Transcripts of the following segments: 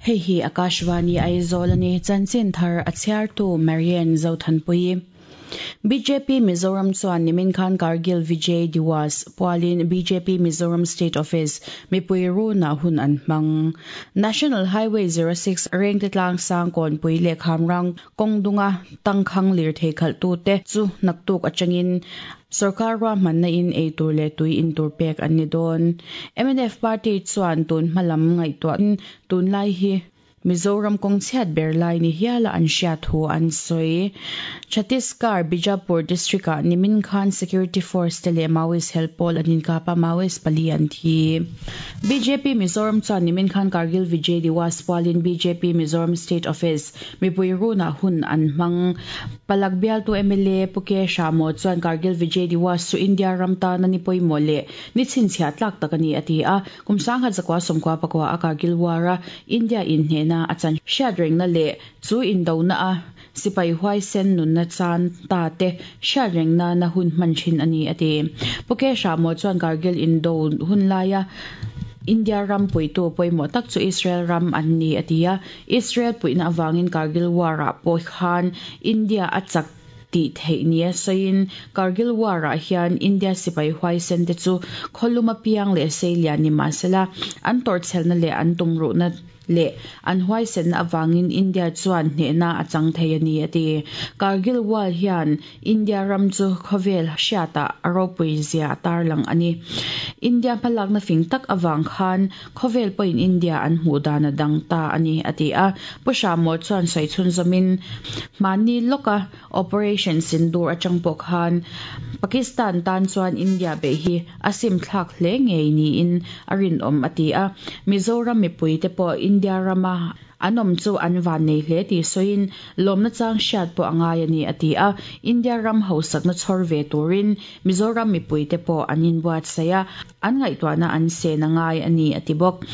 Hei hi Akashvani Aizawl a ni. Chanchin thar a chhiartu Marian Zothanpuii. Bjp Mizoram chuan nimin khan Kargil Vijay Diwas pualin bjp Mizoram State Office mipui runah hun an hmang. National Highway 06 Rengte tlang sang Kawnpui leh Khamrang kawng dunga tangkhang lirthei khalhtute chu naktuk atangin sorkar ruahmanna in eitur leh tui intur pek an ni dawn. Mnf party chuan tun hmalam ngaihtuahin tunlai hi Mizoram kawng chhiat ber lai ni hiala an hriat thu an sawi. Chhattisgarh, Bijapur district-ah nimin khan security force te leh Maoist hel pawl an inkap a, Maoist pali an thi. Bjp Mizoram chuan nimin khan Kargil Vijay Diwas pualin bjp Mizoram State Office mipui runah hun an hmang. Palak bialtu mla Pu K Hramo chuan Kargil Vijay Diwas chu India ram tana ni pawimawh leh ni chhinchhiah tlak tak a ni a ti a. Kum sanghat zakua sawmkua pakua a Kargil War a India inhnehna a chan hriat rengna leh chu indona a sipai huaisen nunna chan ta te hriat reng nana hun hman thin a ni a ti. Pu K Hramo chuan Kargil indo hun laia India ram puitu pawimawh tak chu Israel ram an ni a ti a, Israel puihna avangin Kargil War ah pawh khan India a chak tih theih nia sawiin Kargil War ah hian India sipai huaisen te chu khawlum apiang leh seilian ni mahsela an tawrhchhelna leh an tumruhna leh an huaisenna avangin India chuan hnehna a chang thei a ni a ti. Kargil War hian India ram chu khawvel hriatah a ropui zia a tarlang a ni. India hmalakna fing tak avang khan Khawvel pawhin India an hmuh dan a dang ta a ni, a ti a. Pu Hramawt chuan sawi chhunzawmin, Hmanni lawka Operation Sindoor atang pawh khan Pakistan tan chuan India beih hi a sim thlak hle ngei niin a rinawm, a ti a. Mizoram mipuite pawh India rama An awm chu an van nei hle tih sawiin lawmna chang hriat pawh a ngai a ni a ti a, India ram hausakna chhawr ve turin Mizoram mipuite pawh an inbuatsaih a, an ngaihtuahna an sen a ngai a ni a ti bawk.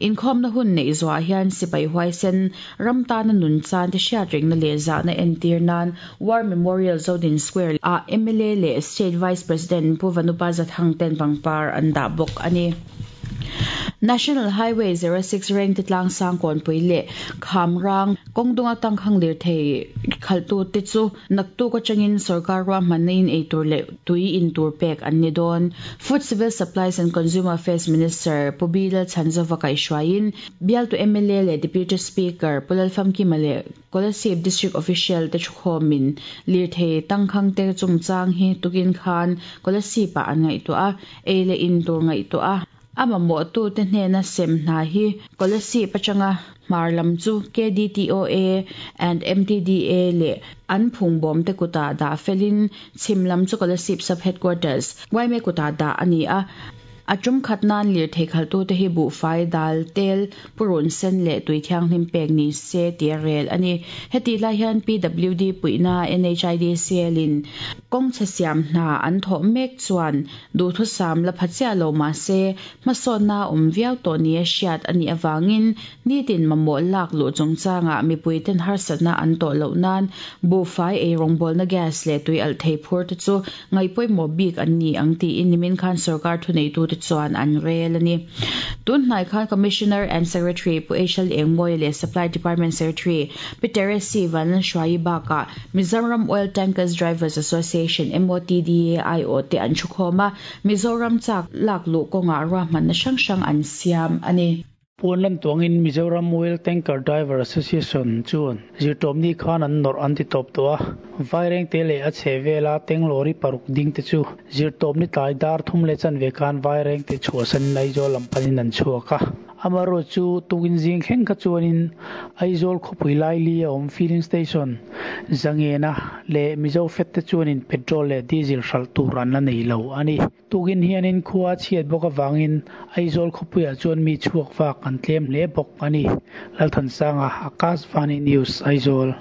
Inkhawmna hun neih zuah hian sipai huaisen ram tana nun chan te hriatrengna leh zahna entir nan War Memorial Zodin Square ah mla leh State Vice President Pu Vanupa Zathang ten pangpar an dah bawk a ni. National Highway 06 Rengte tlang sang Kawnpui leh Khamrang kawng dunga tangkhang lirthei khalhtute chu naktuk atangin sorkar ruahmanna in eitur leh tui in tur pek an ni dawn. Food Civil Supplies and Consumer Affairs Minister Pu B Lalchhanzova kaihhruaiin bialtu mla leh Deputy Speaker Pu Lalfamkima leh Kolasib District Official te thukhawmin lirthei tangkhang te chungchang hi tukin khan Kolasib ah an ngaihtuah a, ei leh in tur ngaihtuah a, a mamawhtute hnena sem hna hi Kolasib atanga hmar lam chu KDTOA and MTDA leh an phungbawm te kutah dah felin chhim lam chu Kolasib Sub Headquarters, YMA kutah dah a ni a. A tum khat nan lirthei khalhtute hi buhfai, dal, tel, purun sen leh tui thianghlim pek ni se tih a rel a ni. Hetih lai hian PWD puihna NHIDCL in kawngchhe siam hna an thawh mek chuan duhthusam la pha chiah lo mah se hmasawnna a awm viau tawh nia hriat a nih avangin nitin mamawh lak luh chungchangah mipuiten harsatna an tawh loh nan buhfai eirawngbawlna gas leh tui alh thei phur te chu Ngaihpawimawh bik an ni ang tiin nimin khan sorkar thuneitute chuan an rel a ni. Tun hnai khan Commissioner and Secretary Pu Eshal Engmawia leh Supply Department Secretary Pi Teresi Vanlalhruaii bakah Mizoram Oil Tankers Drivers Association, MOTDA, aiawh te an thukhawm a, Mizoram chak lak luh kawngah ruahmanna hrang hrang an siam a ni. Puan lan tuangin Mizoram Oil Tanker Driver Association chuan zirtawpni khan an nawrh an ti tawp tawh a, Vairengte leh a chhe vela tank lorry paruk ding te chu zirtawpni tlai dar thum leh chanve khan Vairengte chhuahsanin Aizawl lam panin an chhuak a. Amaherawhchu chu tukin zing thleng kha chuanin Aizawl khawpui laili a awm filling station Zangena leh Mizo Fed te chuanin petrol leh diesel hralh tur an la nei lo a ni. Tukin hianin khua a chhiat bawk avangin Aizawl khawpuiah chuan mi chhuak vak an tlem hle bawk a ni. Lalthansanga, Akashvani News, Aizawl.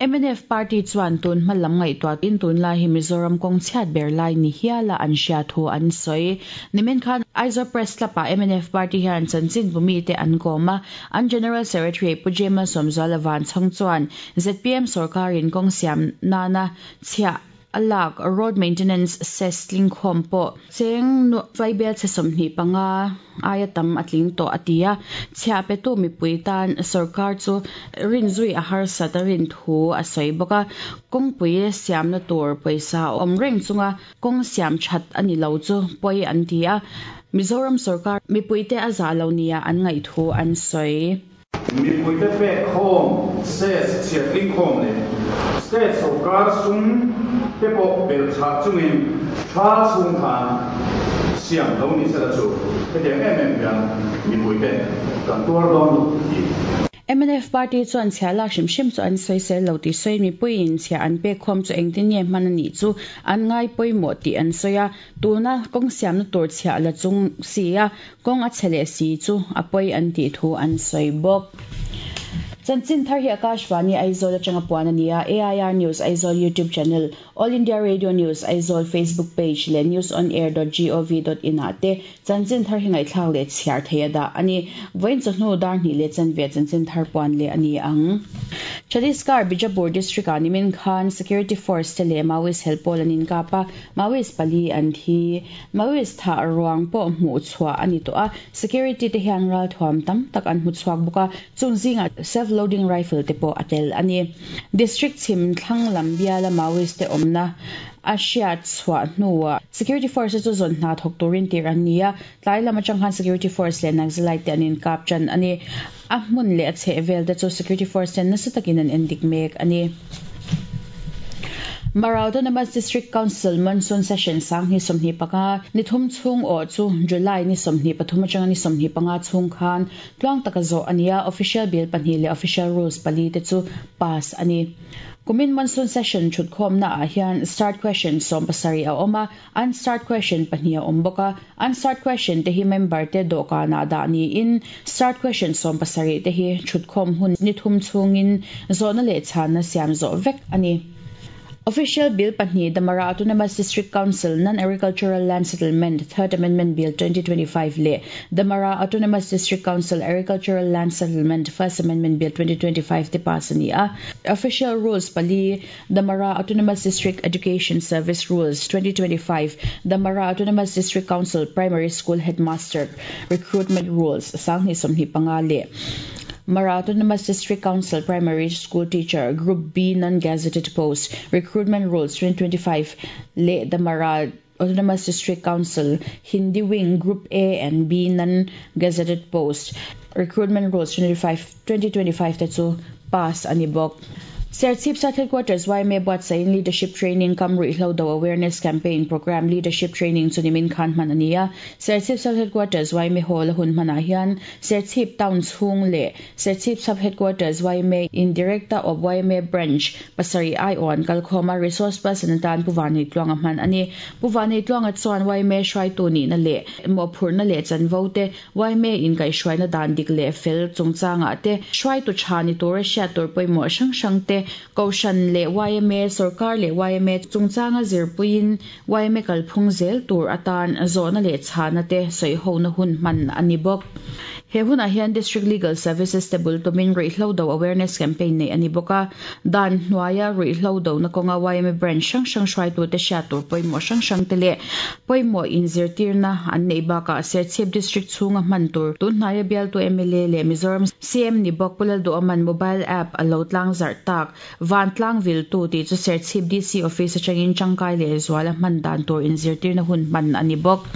Mnf party chuan tun hma lam ngaihtuahin tunlai hi Mizoram kawng chhiat ber lai ni hiala an hria thu an sawi. Nimin khan Aizawl Press Club-ah mnf party hian chanchinbu mite an kawm a, an General Secretary Pu James Sawmzuala Vanchhawng chuan zpm sawrkarin kawng siam nana chhiah. a lak road maintenance cess tlingkhawm pawh cheng vaibel chhe 25 aia tam a tling tawh a ti a. Chhiah petu mipui tan sorkar chu rinzui a harsat a rin thu a sawi bawk a. Kawngpui siamna tur pawisa awm reng chunga kawng siam that a ni lo chu pawi an ti a. Mizoram sorkar mipuite a zah lo nia an ngaih thu an sawi. Mipuite pek khawm, cess chhiat tling khawm leh state sorkar sum te pawh belh chhah chungin tha chhung khan siam lo ni sela chu hetiang em em hian mipuite kan tuar dawn lo tih. Mnf party chuan chhiah lak hrim hrim chu an sawisel lo tih sawiin mipuiin chhiah an pek khawm chu engtin nge hman a nih chu an ngai pawimawh tih an sawi a. Tuna kawng siamna tur chhiah la chung si a, kawng a chhe leh si chu a pawi an tih thu an sawi bawk. Chanchin thar hi Akashvani Aizawl atanga puan a ni a, AIR News Aizawl YouTube channel, All India Radio News Aizawl Facebook page leh newsonair.gov.in ah te chanchin thar hi ngaihthlak leh chhiar thei a dah a ni. Vawiin chawhnu dar hnih leh chanve chanchin thar puan leh a ni ang. Chhattisgarh Bijapur district ah nimin khan security force te leh Maoist hel pawl an inkap a, Maoist pali an thi. Maoist thah ruang pawh hmuh chhuah a ni tawh a, security te hian ralthuam tam tak an hmu chhuak bawk a, chung zingah self loading rifle te pawh a tel a ni. District chhim thlang lam biala Maoist te awmna a hriat chhuah hnuah security force te chu zawn hna thawk turin tirh an ni a, tlai lam atang khan security force leh Naxalite te an inkap tan a ni. A hmun leh a chheh vel te chu security force ten nasa takin an endik mek a ni. Mara Autonomous District Council Monsoon Session 2025 ni thum chhung awh chu July ni 23 atanga ni 25 chhung khan tluang taka zawh a ni a, Official Bill pahnih leh Official Rules pali te chu pass a ni. Kumin Monsoon Session thutkhawmna ah hian Starred Question 17 a awm a, Unstarred question pahnih a awm bawk a, unstarred question te hi member te dawhkanah dah niin starred question 17 te hi thutkhawm hun ni thum chhungin zawhna leh chhanna siam zawh vek a ni. Official Bill pahnih The Mara Autonomous District Council Non-Agricultural Land Settlement Third Amendment Bill 2025 leh The Mara Autonomous District Council Agricultural Land Settlement First Amendment Bill 2025 te pass a ni a. Official Rules pali The Mara Autonomous District Education Service Rules, 2025, The Mara Autonomous District Council Primary School Headmaster Recruitment Rules, 2025 leh Mara Autonomous District Council Primary School Teacher Group B Non-Gazetted Post Recruitment Rules, 2025 leh The Mara Autonomous District Council Hindi Wing Group A and B Non-Gazetted Post Recruitment Rules, 2025 te chu pass a ni bawk. Serchhip South Headquarters yma buatsaihin Leadership Training kam ruihhlo do Awareness Campaign Programme Leadership Training chu nimin khan hman a ni a. Serchhip South Headquarters yma Hall a hun hmanah hian Serchhip Town chhung leh Serchhip Sub Headquarters yma in Director of yma Branch pasarih aiawh an kalkhawm a, Resource Person atan Pu Vanneitluanga hman a ni. Pu Vanneitluanga chuan yma hruaitu nihna leh mawhphurhna leh chanvo te yma inkaihhruaina dan dik leh fel chungchangah te, hruaitu tha ni tura hriat tur pawimawh hrang hrang te, Kohhran leh yma, sorkar leh yma chungchanga zirpuiin yma kalphung zel tur atan zawhna leh chhana te sawihona hun hman a ni bawk. He hunah hian District Legal Services te bul tumin ruihhlo do awareness campaign neih a ni bawk a, dan hnuaia ruihhlo dona kawnga yma branch hrang hrang hruaitute hriat tur pawimawh hrang hrang te leh pawimawh inzirtirna an neih bakah Serchhip District chhunga hman tur tunhnaia bialtu mla leh Mizoram CM ni bawk Pu Lalduhawman mobile app a lo tlang zarh tak Vantlang viltu tih chu Serchhip DC Office atangin tangkai leh zuala hman dan tur inzirtirna hun hman a ni bawk.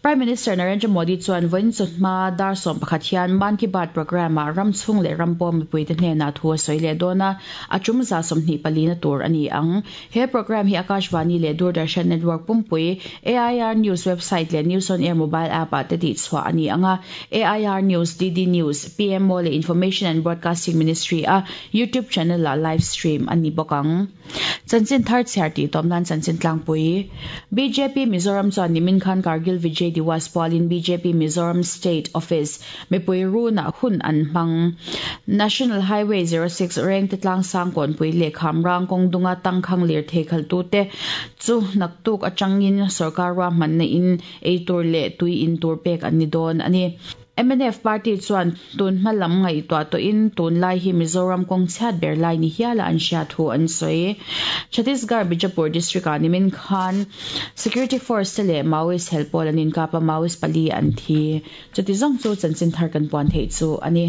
Prime Minister Narendra Modi chuan vawiin chawhma dar 11 hian Mann Ki Baat programme ah ram chhung leh ram pawm mipuite hnenah thu a sawi leh dawn a, a tum za 24 na tur a ni ang. He programme hi Akashvani leh Doordarshan Network pumpui, AIR News website leh News on Air mobile app ah te tihchhuah a ni ang a, AIR News, DD News, PMO leh Information and Broadcasting Ministry a YouTube channel ah live stream a ni bawk ang. Chanchin thar chhiar tih tawp nan chanchin tlangpui. Bjp Mizoram chuan nimin khan Kargil Vijay Diwas pualin bjp Mizoram State Office mipui runah hun an hmang. National Highway 06 Rengte tlang sang kawnpui leh Khamrang kawng dunga tangkhang lirthei khaltute chu naktuk atangin sorkar ruahmanna in eitur leh tui in tur pek an ni dawn a ni. Mnf party chuan tun hma lam ngaihtuah tawhin tunlai hi Mizoram kawng chhiat ber lai ni hiala an hriat thu an sawi. Chhattisgarh Bijapur district-ah nimin khan Security Force te leh Maoist hel pawl an inkap a, Maoist pali an thi. Chuti zawng chu chanchin thar kan puan theih chu a ni.